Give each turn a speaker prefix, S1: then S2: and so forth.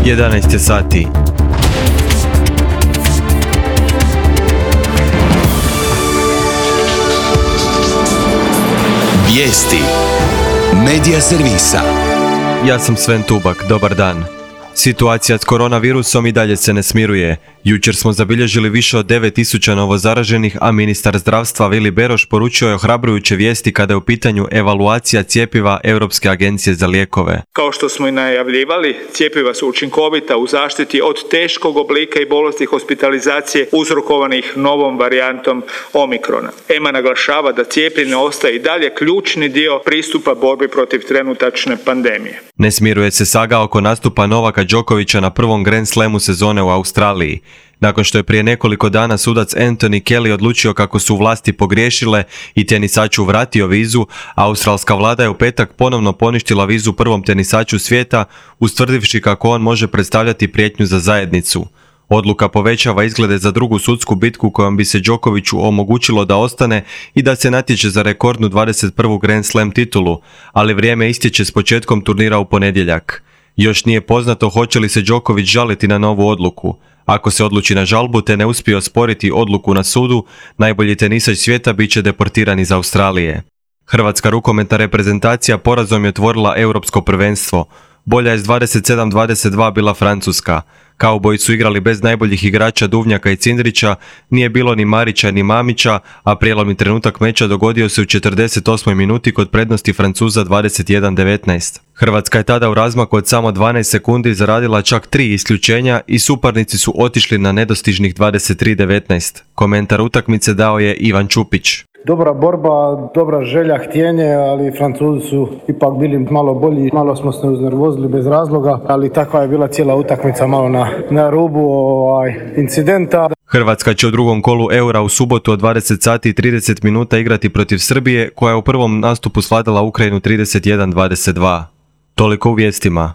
S1: 11 je sati.
S2: Vijesti Medija servisa.
S1: Ja sam Sven Tubak, dobar dan. Situacija s koronavirusom i dalje se ne smiruje. Jučer smo zabilježili više od 9.000 novozaraženih, a ministar zdravstva Vili Beroš poručio je ohrabrujuće vijesti kada je u pitanju evaluacija cjepiva Europske agencije za lijekove.
S3: Kao što smo i najavljivali, cjepiva su učinkovita u zaštiti od teškog oblika i bolesti hospitalizacije uzrokovanih novom varijantom Omikrona. EMA naglašava da cijepljenje ostaje i dalje ključni dio pristupa borbi protiv trenutačne pandemije.
S1: Ne smiruje se saga oko nastupa Novaka Đokovića na prvom Grand Slamu sezone u Australiji. Nakon što je prije nekoliko dana sudac Anthony Kelly odlučio kako su vlasti pogriješile i tenisaču vratio vizu, australska vlada je u petak ponovno poništila vizu prvom tenisaču svijeta, ustvrdivši kako on može predstavljati prijetnju za zajednicu. Odluka povećava izglede za drugu sudsku bitku kojom bi se Đokoviću omogućilo da ostane i da se natječe za rekordnu 21. Grand Slam titulu, ali vrijeme istječe s početkom turnira u ponedjeljak. Još nije poznato hoće li se Đoković žaliti na novu odluku. Ako se odluči na žalbu te ne uspije osporiti odluku na sudu, najbolji tenisač svijeta bit će deportiran iz Australije. Hrvatska rukometna reprezentacija porazom je otvorila europsko prvenstvo. Bolja je s 27-22 bila Francuska. Kauboji su igrali bez najboljih igrača Duvnjaka i Cindrića, nije bilo ni Marića ni Mamića, a prijelomni trenutak meča dogodio se u 48. minuti kod prednosti Francuza 21-19. Hrvatska je tada u razmaku od samo 12 sekundi zaradila čak 3 isključenja i suparnici su otišli na nedostižnih 23-19. Komentar utakmice dao je Ivan Čupić.
S4: Dobra borba, dobra želja, htjenje, ali Francuzi su ipak bili malo bolji, malo smo se uznervozili bez razloga, ali takva je bila cijela utakmica malo na rubu incidenta.
S1: Hrvatska će u drugom kolu Eura u subotu od 20 sati i 30 minuta igrati protiv Srbije, koja je u prvom nastupu svladala Ukrajinu 31-22. Toliko u vijestima.